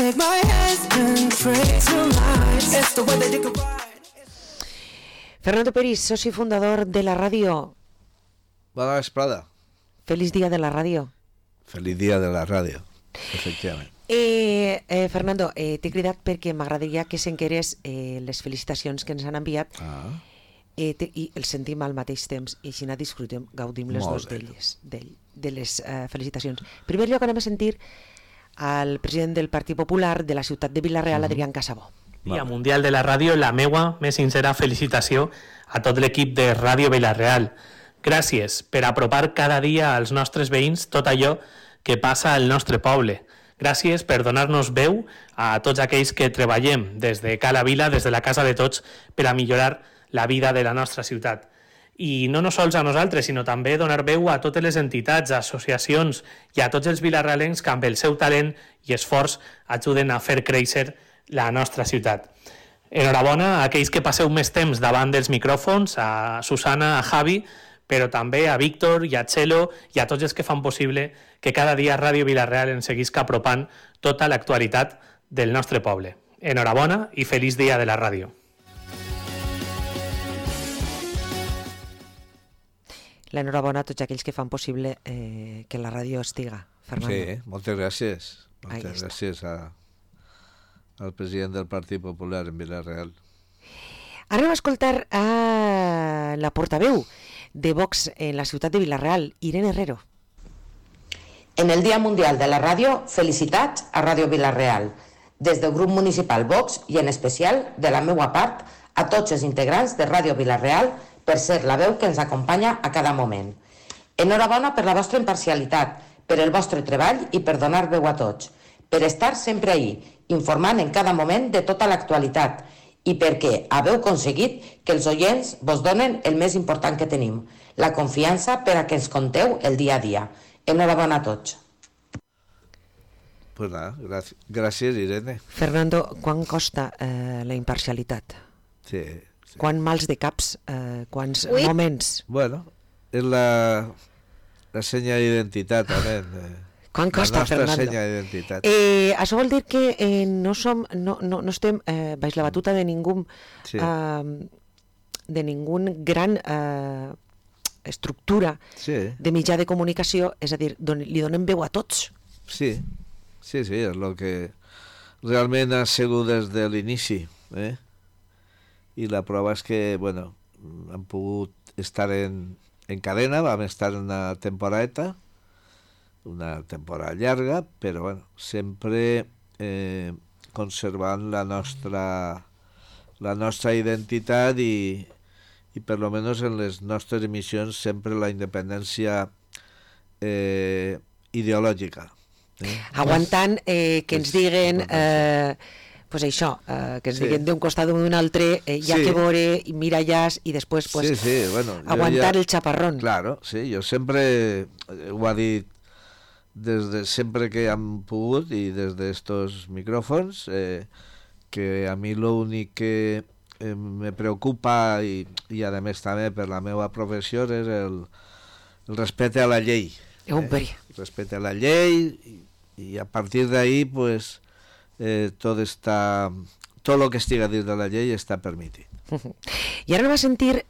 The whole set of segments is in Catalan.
take my hands and pray tonight. It's the way that you can ride. Fernando Peris, soci fundador de la ràdio. Bona vesprada. Feliç dia de la ràdio. Feliç dia de la ràdio, efectivament. Fernando, t'he cridat perquè m'agradaria que s'enquerés les felicitacions que ens han enviat i els sentim al mateix temps i així disfrutem, gaudim les dues d'elles, de les felicitacions. En primer lloc anem a sentir al president del Partit Popular de la ciutat de Vila-real, Adrián Casabó. Dia Mundial de la Ràdio, la meua més sincera felicitació a tot l'equip de Ràdio Vila-real. Gràcies per apropar cada dia als nostres veïns tot allò que passa al nostre poble. Gràcies per donar-nos veu a tots aquells que treballem des de Cala Vila, des de la casa de tots, per a millorar la vida de la nostra ciutat. I no sols a nosaltres, sinó també donar veu a totes les entitats, associacions i a tots els vilarealencs que amb el seu talent i esforç ajuden a fer créixer la nostra ciutat. Enhorabona a aquells que passeu més temps davant dels micròfons, a Susana, a Javi, però també a Víctor i a Txelo i a tots els que fan possible que cada dia Ràdio Vila-real ens seguisca apropant tota l'actualitat del nostre poble. Enhorabona i feliç dia de la ràdio. L'enhorabona a tots aquells que fan possible que la ràdio estiga, Fernando. Sí, moltes gràcies. Moltes gràcies al president del Partit Popular en Vila-real. Ara anem a escoltar a la portaveu de Vox en la ciutat de Vila-real, Irene Herrero. En el Dia Mundial de la Ràdio, felicitats a Ràdio Vila-real, des del grup municipal Vox i en especial, de la meua part, a tots els integrants de Ràdio Vila-real per ser la veu que ens acompanya a cada moment. Enhorabona per la vostra imparcialitat, per el vostre treball i per donar veu a tots, per estar sempre ahí, informant en cada moment de tota l'actualitat i perquè haveu aconseguit que els oients vos donen el més important que tenim, la confiança per a que ens conteu el dia a dia. Enhorabona a tots. Pues nada, gràcies, Irene. Fernando, quan costa la imparcialitat? Sí. Quants mals de caps, quants moments? Bueno, és la senya d'identitat, també. Quan costa, Fernando? La nostra senya d'identitat. Això vol dir que no estem baix la batuta de ningú gran estructura de mitjà de comunicació, és a dir, li donem veu a tots. Sí, és el que realment ha sigut des de l'inici, i la prova és que, bueno, hem pogut estar en cadena, vam estar una temporada llarga, però bueno, sempre conservant la nostra identitat i per lo menos en les nostres emissions sempre la independència ideològica. Aguantant que ens diguen pues això, que ens diguen d'un costat o d'un altre, hi ha que veure, mira allà i després pues, bueno, aguantar el xaparrón. Claro, sí, jo sempre ho he dit des de sempre que hem pogut i des d'estos micròfons, que a mi l'únic que me preocupa i a més també per la meva professió és el respecte a la llei. Respecte a la llei i a partir d'ahí pues tot el que estiga dins de la llei està permitit. I ara anem a sentir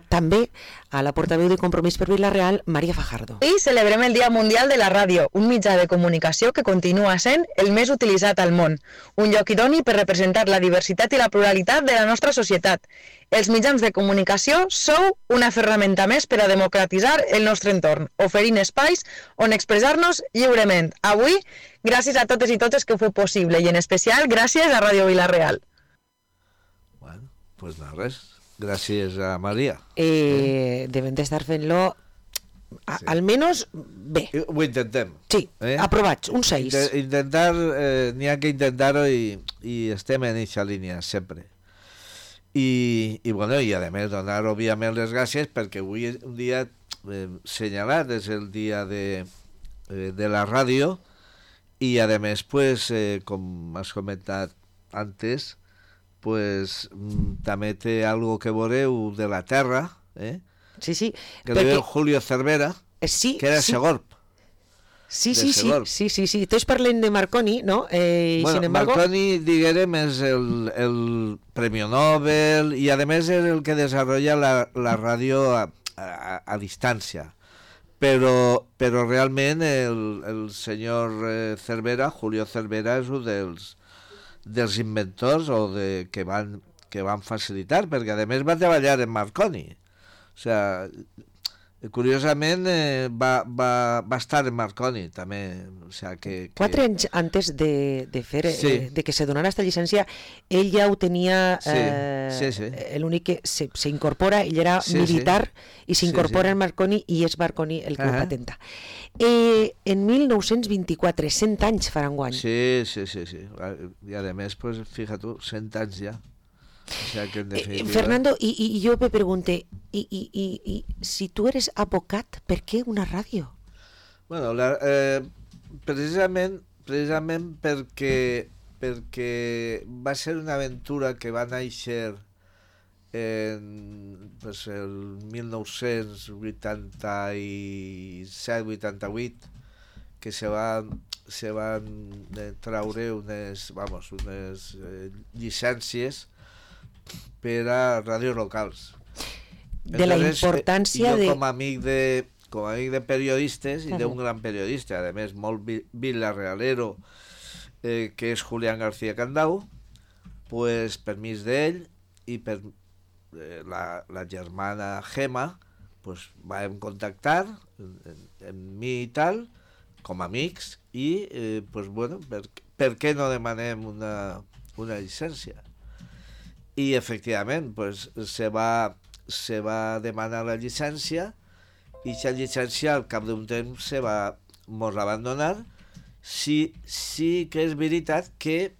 també a la portaveu de Compromís per Vila-real, Maria Fajardo. Avui celebrem el Dia Mundial de la Ràdio, un mitjà de comunicació que continua sent el més utilitzat al món, un lloc idoni per representar la diversitat i la pluralitat de la nostra societat. Els mitjans de comunicació sou una ferramenta més per a democratitzar el nostre entorn, oferint espais on expressar-nos lliurement. Avui, gràcies a totes i totes que ho feu possible i en especial gràcies a Ràdio Vila-real. Bueno, pues no res. Gràcies a Maria. Devem d'estar fent-lo almenys bé. Ho intentem. Sí, aprovats, un 6. Intentar, n'hi ha que intentar-ho i estem en aquesta línia sempre. I bueno, i a més donar òbviament les gràcies perquè avui és un dia senyalat, és el dia de la ràdio i a més pues, com has comentat antes, pues també té algo que veureu de la terra, sí, que perquè... diu Julio Cervera, sí, que era Segorb. Sí. Segor. Sí. Tots parlen de Marconi, ¿no? Y Bueno, sin embargo... Marconi, diguem, és el premio Nobel i, a més, és el que desarrolla la ràdio a distància. Però realment el senyor Cervera, Julio Cervera, és un dels inventors que van facilitar, perquè, a més, va treballar en Marconi. O sigui, curiosament va estar en Marconi també, o sea, que 4 anys antes de fer Sí. de que se donara esta llicència, ell ja ho tenia, Sí. l'únic que se incorpora, ell era Sí, militar i s'incorpora Sí. en Marconi i és Marconi el que ho Ahà. patenta. En 1924, 100 anys faran guany. Sí. I a més, pues, fija tu, 100 anys ja. O sea, que en definitiva... Fernando, y yo me pregunté, y si tú eres abocat, ¿per què una ràdio? Bueno, precisament perquè va ser una aventura que va néixer en el 1987-88, que se van traure unes llicències per a ràdios locals. De la importància jo de... com a amic de periodistes i d'un gran periodista, a més molt vilarrealero, que és Julián García Candau, pues, permís d'ell i per la germana Gemma, pues, vam contactar amb mi i tal, com a amics, i pues, bueno, per què no demanem una llicència? I efectivament, pues, se va demanar la llicència i aquesta llicència al cap d'un temps mos la van donar. Sí que és veritat que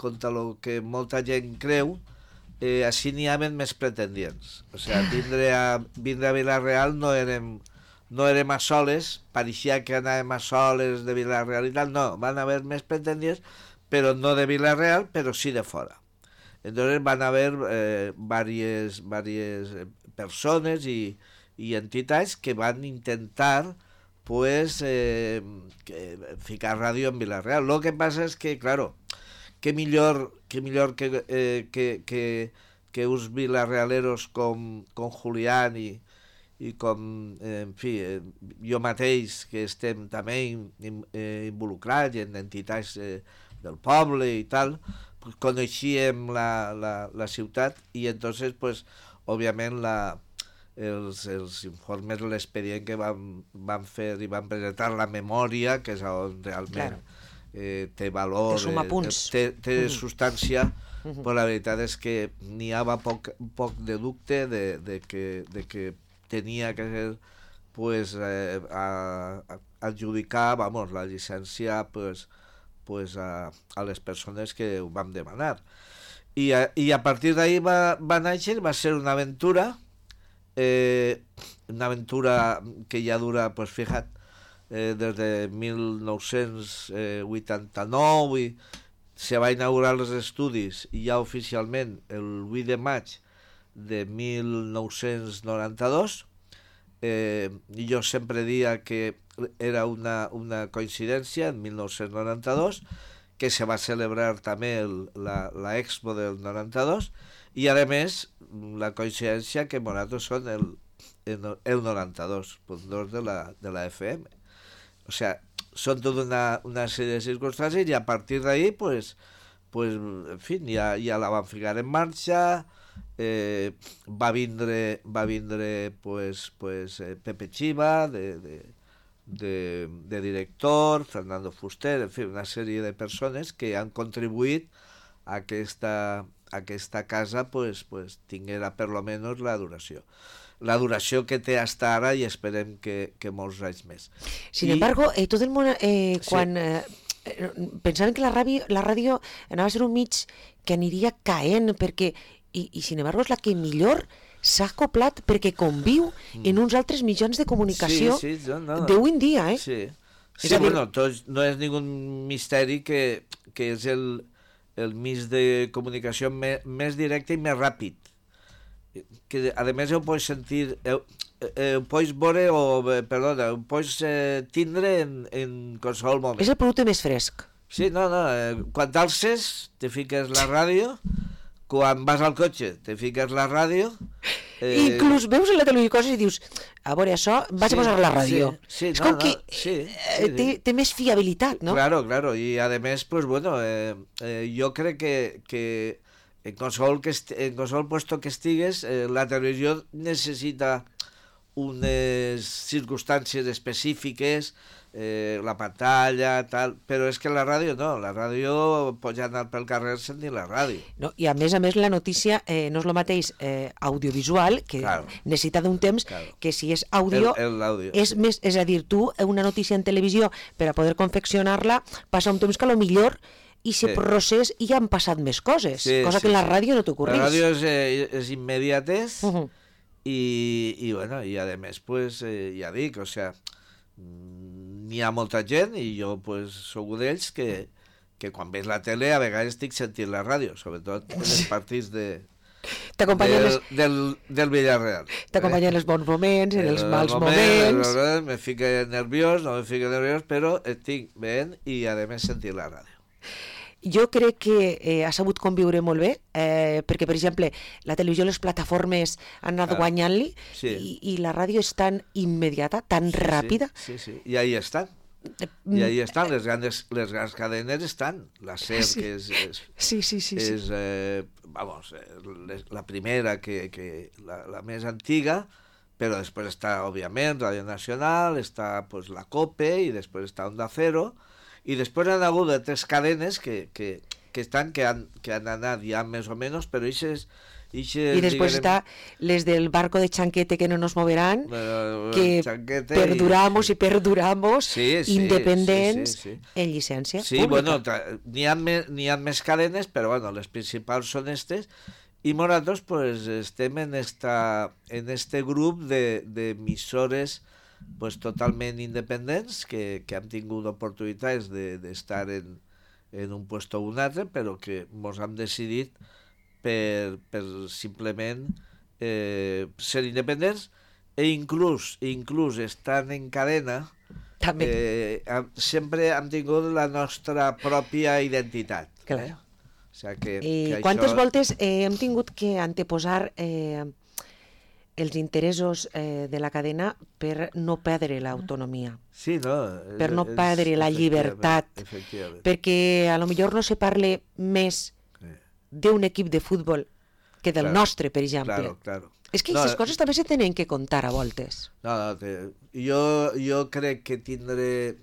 contra el que molta gent creu, així n'hi havia més pretendients. O sigui, vindre a Vila-real no érem a soles, pareixia que anàvem a soles de Vila-real i tal, no, van haver més pretendients, però no de Vila-real, però sí de fora. Entonces van a haber varias personas y entidades que van a intentar pues ficar radio en Vila-real. Lo que pasa es que, claro, que millor que uns vilarrealeros com Julián i com, en fi, jo mateix, que estem també involucrats en entitats del poble i tal, pues coneixíem la ciutat i entonces, pues, òbviament els informes, l'expedient que van fer i van presentar, la memòria, que és on realment té valor, té substància, però la veritat és que n'hi havia poc de dubte de que tenia que ser, pues, adjudicar, vamos, la llicència, pues a les persones que ho vam demanar. I a partir d'ahí va néixer, va ser una aventura que ja dura, pues, fíjate, des de 1989 i se va inaugurar els estudis i ja oficialment el 8 de maig de 1992. I jo sempre dia que era una coincidència en 1992, que se va celebrar també la Expo del 92, i a més la coincidència que nosaltres són el 92.2 de la FM. O sea, són tota una sèrie de circumstàncies i a partir d'ahí, pues, en fi, ja la van ficar en marxa. Va vindre pues, Pepe Chiva de director, Fernando Fuster, en fi, una sèrie de persones que han contribuït a que aquesta casa pues, tinguera per lo menos la duració que té hasta ara i esperem que molts anys més. Sin embargo, tot el món, quan pensaven que la ràdio anava a ser un mig que aniria caent, perquè i sin embargo és la que millor s'ha acoplat perquè conviu en uns altres mitjans de comunicació d'avui en dia, Sí, bueno, no és ningú misteri que és el mig de comunicació més directe i més ràpid, que a més ho pots sentir pots veure, perdona, ho pots tindre en qualsevol moment. És el producte més fresc. Sí, no, quan t'alces te fiques la ràdio, quan vas al cotxe te fiques la ràdio... Inclús veus en la televisió coses i dius, a veure, això, vaig a posar la ràdio. Sí, és com que té més fiabilitat, no? Claro, y además, pues bueno, yo creo que en qualsevol puesto que estigues, la televisió necessita unes circumstàncies específiques, la pantalla, tal, però és que la ràdio no, la ràdio pots anar pel carrer sentint la ràdio. No, i a més la notícia no és el mateix audiovisual, que necessita d'un temps, que si és àudio, és més, és a dir, tu una notícia en televisió, per a poder confeccionar-la, passa un temps que a lo millor i si procés i ja han passat més coses, cosa que en la ràdio no t'ocorreix. La ràdio és immediatez, i bueno, i a més, pues, ja dic, o sea, n'hi ha molta gent, i jo pues, sóc d'ells que quan veig la tele a vegades estic sentint la ràdio, sobretot en els partits del Villarreal. T'acompanyen els bons moments, en els mals moments. Me fico nerviós, no me fico nerviós, però estic veient i a més sentint la ràdio. Jo crec que ha sabut conviure molt bé, perquè, per exemple, la televisió, les plataformes han anat guanyant-li, i la ràdio és tan immediata, tan ràpida. Sí, i ahí estan. I ahí estan, les grans cadenes estan. La SER, que és vamos, la primera, la més antiga, però després està, òbviament, Radio Nacional, està pues, la COPE, i després està Onda Cero, i després han hagut de 3 cadenes que han anat ja més o menys, però i després està les del barco de Chanquete que no nos moveran, que perduramos independents en llicència pública. Bueno, n'hi ha més cadenes, però bueno, les principals són aquestes, i nosaltres pues, estem en este grup d'emissores pues, totalment independents que han tingut oportunitats d'estar en un puesto o un altre, però que ens hem decidit per simplement ser independents, i inclús estant en cadena sempre hem tingut la nostra pròpia identitat. Claro. O sea que quantes voltes hem tingut que anteposar els interessos de la cadena per no perdre l'autonomia, per no perdre la llibertat, perquè a lo millor no se parle més d'un equip de futbol que del nostre, per exemple. És que aquestes coses també se tenen que contar a voltes. Jo crec que tindre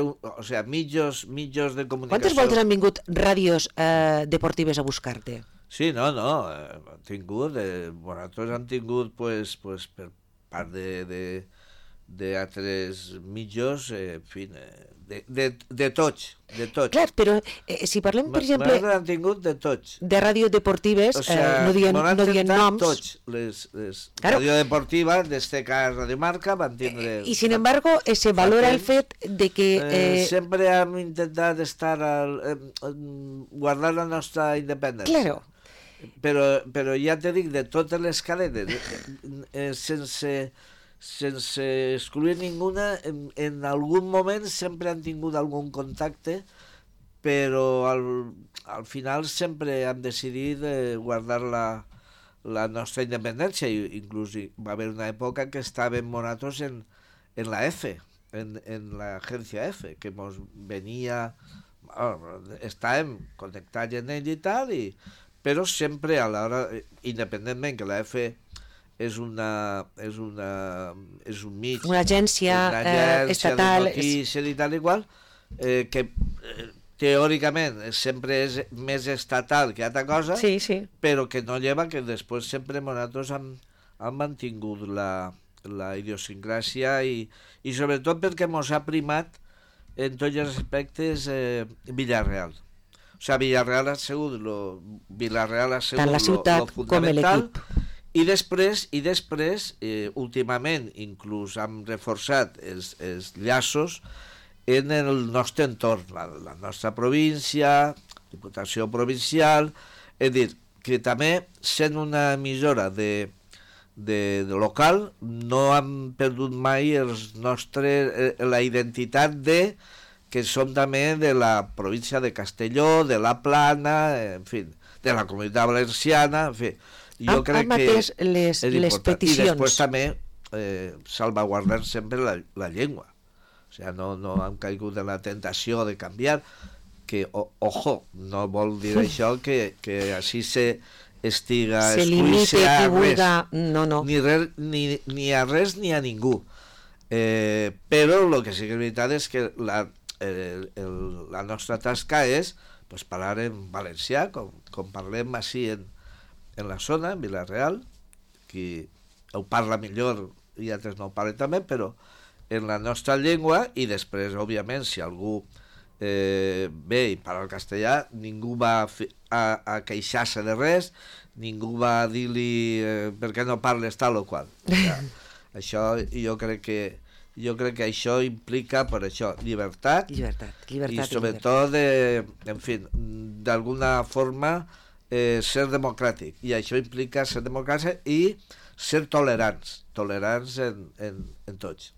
o sea, mitjos de comunicació... Quantes voltes han vingut ràdios deportives a buscar-te? Sí, no, han tingut, nosaltres hem tingut pues, per part d'altres mitjos, en fi, de tots. Clar, però si parlem, per exemple... Nosaltres hem tingut de tots. De ràdio deportives, no dient noms... Tots, les ràdio deportives, d'este cas Radio Marca, van tindre... I, sin embargo, se valora el fet de que... Sempre hem intentat guardar la nostra independència. Claro. Però ja te dic, de totes les cadenes, sense excluir ninguna, en algun moment sempre han tingut algun contacte, però al final sempre hem decidit guardar la nostra independència, i inclús va haver una època que estàvem nosaltres en la F, en l'agència F, que ens venia, estàvem connectats en ell i tal, però sempre a l'hora, independentment que la F és un mig, una agència estatal de notícies i tal i qual, que teòricament sempre és més estatal que altra cosa, però que no lleva que després sempre nosaltres hem mantingut la idiosincràsia, i sobretot perquè ens ha primat en tots els aspectes Villarreal. O sigui, Villarreal ha sigut tant la ciutat com l'equip. I després, últimament, inclús hem reforçat els llaços en el nostre entorn, la nostra província, Diputació Provincial, és dir, que també sent una emissora de local, no hem perdut mai la identitat de que som també de la província de Castelló, de la Plana, en fi, de la Comunitat Valenciana, en fi. Jo crec que és les peticions. I després també salvaguardar sempre la llengua. O sigui, no hem caigut en la tentació de canviar, que, ojo, no vol dir això que així estiga limite a res, no. ni a res ni a ningú. Però el que sí que és veritat és que la nostra tasca és parlar en valencià, com parlem així en la zona, en Vila-real, qui ho parla millor i altres no ho parlen també, però en la nostra llengua, i després, òbviament, si algú ve i parla el castellà, ningú va a queixar-se de res, ningú va a dir-li per què no parles tal o qual. Això jo crec que això implica, per això, llibertat i sobretot, en fi, d'alguna forma ser democràtic, i això implica ser democràtic i ser tolerants en tots.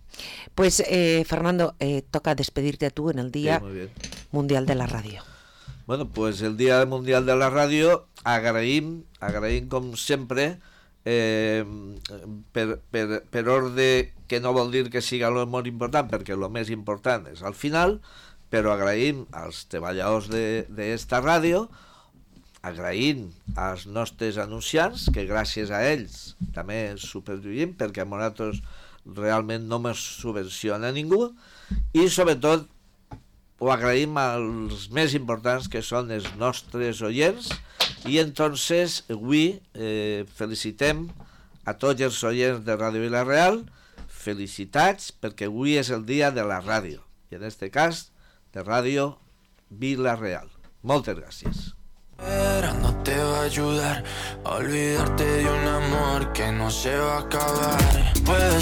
Pues Fernando, toca despedirte a tú en el Día Mundial de la Radio. Bueno, pues el Día Mundial de la Radio agraïm com sempre, per ordre, que no vol dir que siga el molt important, perquè el més important és al final, però agraïm als treballadors d'esta ràdio, agraïm als nostres anunciants, que gràcies a ells també supervivim, perquè a nosaltres realment no ens subvenciona ningú, i sobretot ho agraïm als més importants, que són els nostres oients, i entonces avui felicitem a tots els oients de Ràdio Vila-real, felicitats, perquè avui és el dia de la ràdio, i en este cas de Ràdio Vila-real. Moltes gràcies. No te va a ayudar a olvidarte de un amor que no se va a acabar.